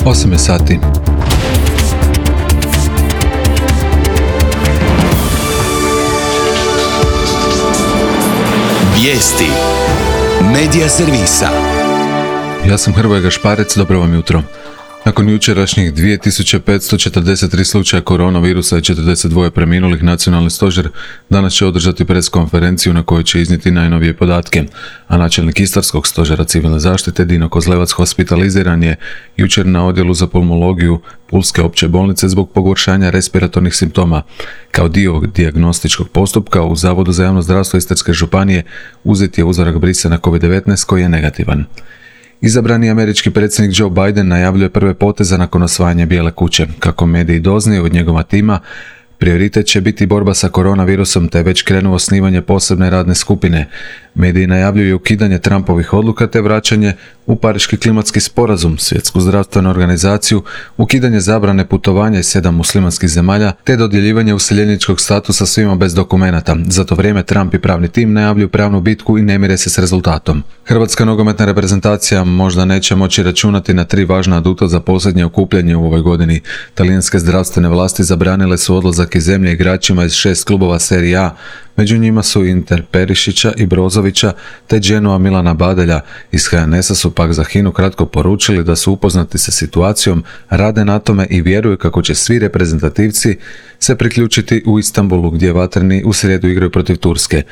8 je sati. Vijesti Medija servisa. Ja sam Hrvoje Gašparec, dobro vam jutro. Nakon jučerašnjih 2543 slučaja koronavirusa i 42 preminulih, Nacionalni stožer danas će održati preskonferenciju na kojoj će iznijeti najnovije podatke, a načelnik Istarskog stožera civilne zaštite Dino Kozlevac hospitaliziran je jučer na odjelu za pulmologiju Pulske opće bolnice zbog pogoršanja respiratornih simptoma. Kao dio dijagnostičkog postupka u Zavodu za javno zdravstvo Istarske županije uzet je uzorak brisa na COVID-19 koji je negativan. Izabrani američki predsjednik Joe Biden najavljuje prve poteze nakon osvajanja Bijele kuće. Kako mediji doznaju od njegova tima, prioritet će biti borba sa koronavirusom, te već krenuo osnivanje posebne radne skupine. Mediji najavljuju ukidanje Trumpovih odluka te vraćanje u Pariški klimatski sporazum, Svjetsku zdravstvenu organizaciju, ukidanje zabrane putovanja iz 7 muslimanskih zemalja te dodjeljivanje useljeničkog statusa svima bez dokumenata. Za to vrijeme Trump i pravni tim najavljuju pravnu bitku i ne mire se s rezultatom. Hrvatska nogometna reprezentacija možda neće moći računati na 3 važna aduta za posljednje okupljanje u ovoj godini. Talijanske zdravstvene vlasti zabranile su odlazak iz zemlje igračima iz 6 klubova Serie A. Među njima su Inter Perišića i Brozovića te Genoa Milana Badelja. Iz HNS-a su pak za HINA-u kratko poručili da su upoznati sa situacijom, rade na tome i vjeruju kako će svi reprezentativci se priključiti u Istanbulu gdje vatreni u srijedu igraju protiv Turske.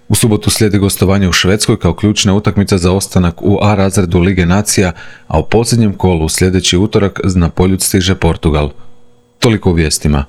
U subotu slijedi gostovanje u Švedskoj kao ključna utakmica za ostanak u A razredu Lige nacija, a u posljednjem kolu sljedeći utorak na poljud stiže Portugal. Toliko u vijestima.